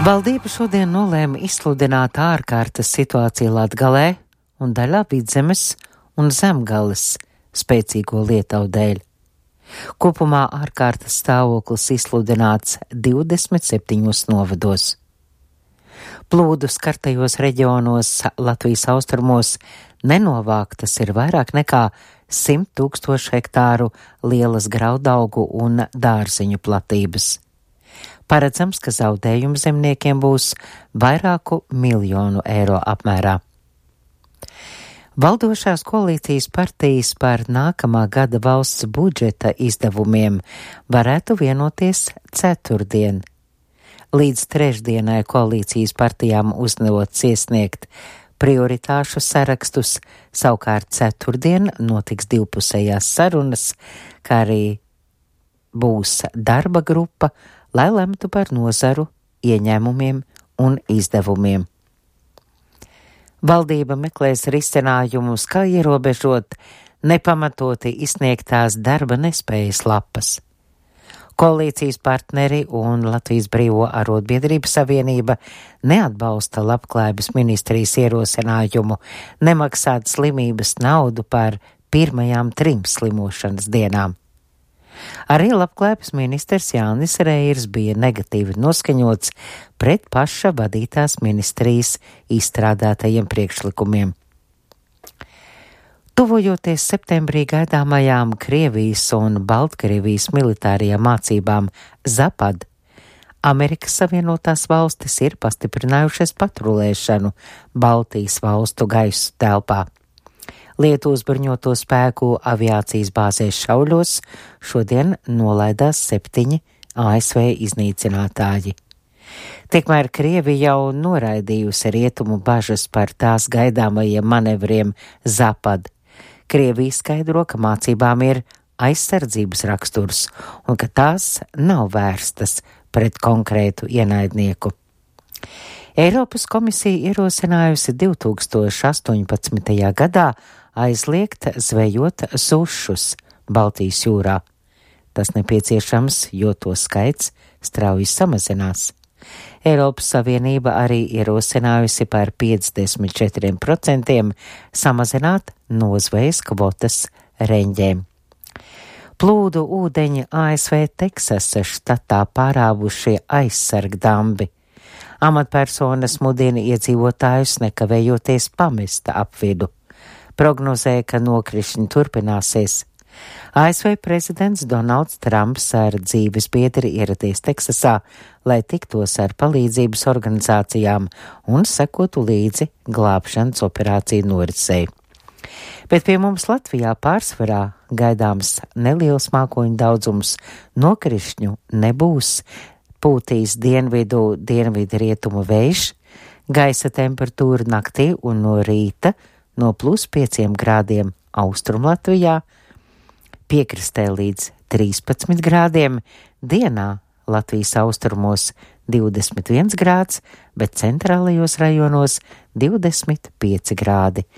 Valdība šodien nolēma izsludināt ārkārtas situāciju Latgalē un daļā Vidzemes un Zemgales spēcīgo lietavu dēļ. Kopumā ārkārtas stāvoklis izsludināts 27 novados. Plūdu skartajos reģionos Latvijas austrumos nenovāktas ir vairāk nekā 100 000 hektāru lielas graudaugu un dārziņu platības. Paredzams, ka zaudējumi zemniekiem būs vairāku miljonu eiro apmērā. Valdošās koalīcijas partijas par nākamā gada valsts budžeta izdevumiem varētu vienoties ceturtdien. Līdz trešdienai koalīcijas partijām uzdots iesniegt prioritāšu sarakstus, savukārt ceturtdien notiks divpusējās sarunas, kā arī būs darba grupa, lai lemtu par nozaru ieņēmumiem un izdevumiem. Valdība meklēs risinājumus, kā ierobežot nepamatoti izsniegtās darba nespējas lapas. Koalīcijas partneri un Latvijas Brīvo arotbiedrību savienība neatbalsta Labklājības ministrijas ierosinājumu nemaksāt slimības naudu par pirmajām 3 slimošanas dienām. Arī Labklājības ministrs Jānis Reirs bija negatīvi noskaņots pret paša vadītās ministrijas izstrādātajiem priekšlikumiem. Tuvojoties septembrī gaidāmajām Krievijas un Baltkrievijas militārajām mācībām Zapad, Amerikas Savienotās valstis ir pastiprinājušas patrulēšanu Baltijas valstu gaisu telpā. Lietuvas bruņoto spēku aviācijas bāzēs Šauļos šodien nolaidās 7 ASV iznīcinātāji. Tikmēr Krievija jau noraidījusi rietumu bažas par tās gaidāmajiem manevriem Zapad. Krievija skaidro, ka mācībām ir aizsardzības raksturs un ka tās nav vērstas pret konkrētu ienaidnieku. Eiropas komisija ierosinājusi 2018. gadā aizliegt zvejot sušus Baltijas jūrā. Tas nepieciešams, jo to skaits strauji samazinās. Eiropas Savienība arī ierosinājusi par 54% samazināt nozvejas kvotas reņģēm. Plūdu ūdeņi ASV Teksasas štatā pārāvušie aizsargdambi. Amatpersonas mudina iedzīvotājus nekavējoties pamest apvidu. Prognozēja, ka nokrišņi turpināsies. ASV prezidents Donalds Trumps ar dzīves biedri ieradies Teksasā, lai tiktos ar palīdzības organizācijām un sekotu līdzi glābšanas operāciju norisei. Bet pie mums Latvijā pārsvarā gaidāms neliels mākoņu daudzums, nokrišņu nebūs, pūtīs dienvidu rietumu vējš, gaisa temperatūra naktī un no rīta no +5 grādiem Austrumlatvijā, piekrastē līdz 13 grādiem, dienā Latvijas austrumos 21 grāds, bet centrālajos rajonos 25 grādi.